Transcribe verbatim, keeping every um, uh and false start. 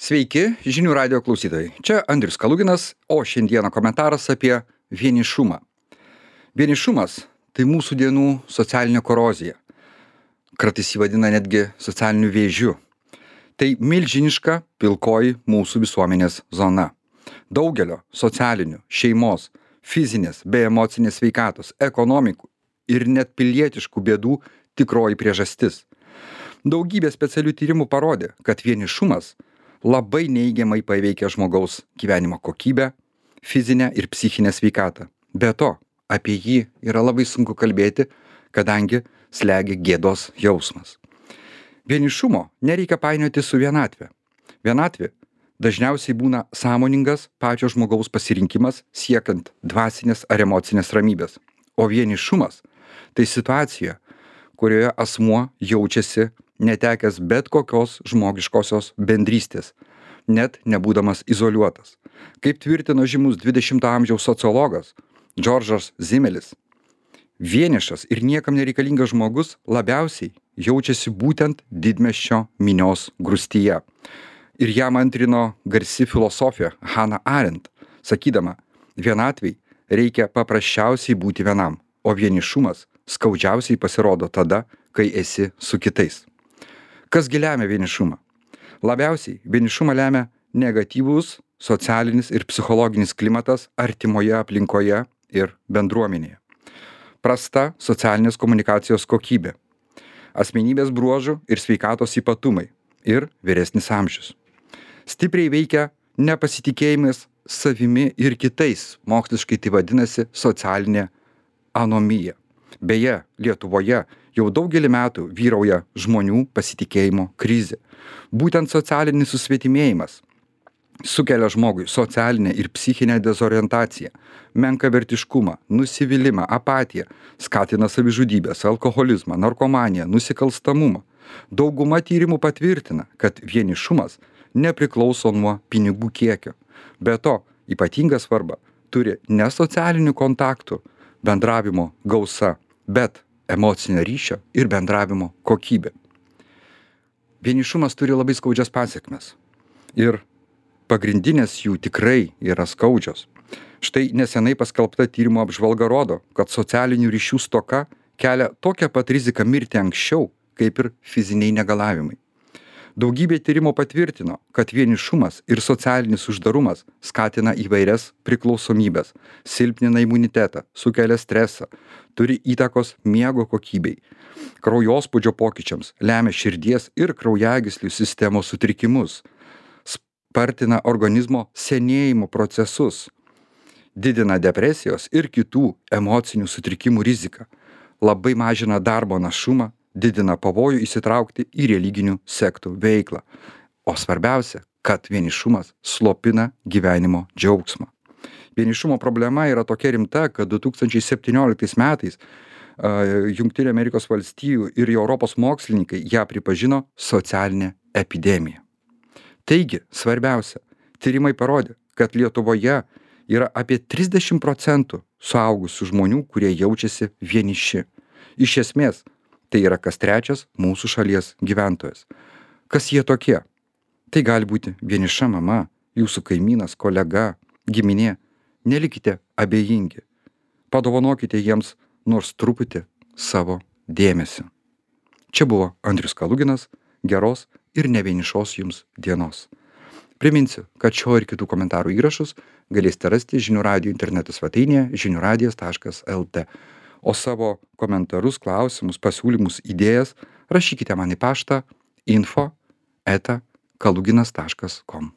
Sveiki, žinių radio klausytojai. Čia Andrius Kaluginas, o šiandieną komentaras apie vienišumą. Vienišumas – tai mūsų dienų socialinė korozija. Kartais jį vadina netgi socialiniu vėžiu. Tai milžiniška pilkoji mūsų visuomenės zona. Daugelio socialinių, šeimos, fizinės bei emocinės sveikatos, ekonomikų ir net pilietiškų bėdų tikroji priežastis. Daugybė specialių tyrimų parodė, kad vienišumas labai neigiamai paveikia žmogaus gyvenimo kokybę, fizinę ir psichinę sveikatą. Be to, apie jį yra labai sunku kalbėti, kadangi slegia gėdos jausmas. Vienišumo nereikia painioti su vienatve. Vienatvė dažniausiai būna sąmoningas pačio žmogaus pasirinkimas siekiant dvasinės ar emocinės ramybės. O vienišumas – tai situacija, kurioje asmuo jaučiasi netekęs bet kokios žmogiškosios bendrystės, net nebūdamas izoliuotas. Kaip tvirtino žymus dvidešimto amžiaus sociologas Džordžas Zimelis, vienišas ir niekam nereikalingas žmogus labiausiai jaučiasi būtent didmiesčio minios grūstyje. Ir jam antrino garsi filosofė Hannah Arendt, sakydama, vienatvei reikia paprasčiausiai būti vienam, o vienišumas skaudžiausiai pasirodo tada, kai esi su kitais. Kasgi lemia vienišumą? Labiausiai vienišumą lemia negatyvus socialinis ir psichologinis klimatas artimoje aplinkoje ir bendruomenėje. Prasta socialinės komunikacijos kokybė, asmenybės bruožų ir sveikatos ypatumai ir vyresnis amžius. Stipriai veikia nepasitikėjimas savimi ir kitais, moksliškai tai vadinasi socialinė anomija. Beje, Lietuvoje jau daugelį metų vyrauja žmonių pasitikėjimo krizė. Būtent socialinis susvetimėjimas sukelia žmogui socialinę ir psichinę dezorientaciją, menkavertiškumą, nusivylimą, apatiją, skatina savižudybės, alkoholizmą, narkomaniją, nusikalstamumą. Dauguma tyrimų patvirtina, kad vienišumas nepriklauso nuo pinigų kiekio. Be to, ypatingą svarbą turi ne socialinių kontaktų bendravimo gausa, bet emocinio ryšio ir bendravimo kokybė. Vienišumas turi labai skaudžias pasekmes. Ir pagrindinės jų tikrai yra skaudžios. Štai nesenai paskelbta tyrimo apžvalga rodo, kad socialinių ryšių stoka kelia tokią pat riziką mirti anksčiau, kaip ir fiziniai negalavimai. Daugybė tyrimo patvirtino, kad vienišumas ir socialinis uždarumas skatina įvairias priklausomybės, silpnina imunitetą, sukelia stresą, turi įtakos miego kokybei, kraujospūdžio pokyčiams, lemia širdies ir kraujagyslių sistemos sutrikimus, spartina organizmo senėjimo procesus, didina depresijos ir kitų emocinių sutrikimų riziką, labai mažina darbo našumą, didina pavojų įsitraukti į religinių sektų veiklą. O svarbiausia, kad vienišumas slopina gyvenimo džiaugsmą. Vienišumo problema yra tokia rimta, kad du tūkstančiai septynioliktais metais uh, Jungtinių Amerikos valstijų ir Europos mokslininkai ją pripažino socialinę epidemiją. Taigi, svarbiausia, tyrimai parodė, kad Lietuvoje yra apie trisdešimt procentų suaugusių žmonių, kurie jaučiasi vieniši. Iš esmės, tai yra kas trečias mūsų šalies gyventojas. Kas jie tokie? Tai gali būti vieniša mama, jūsų kaimynas, kolega, giminė. Nelikite abejingi. Padovanokite jiems nors truputį savo dėmesio. Čia buvo Andrius Kaluginas. Geros ir nevienišos jums dienos. Priminsiu, kad šio ir kitų komentarų įrašus galėsite rasti žinių radijo interneto svetainėje žinių radijas taškas el tė. O savo komentarus, klausimus, pasiūlymus, idėjas rašykite man į paštą info eta kaluginas taškas kom.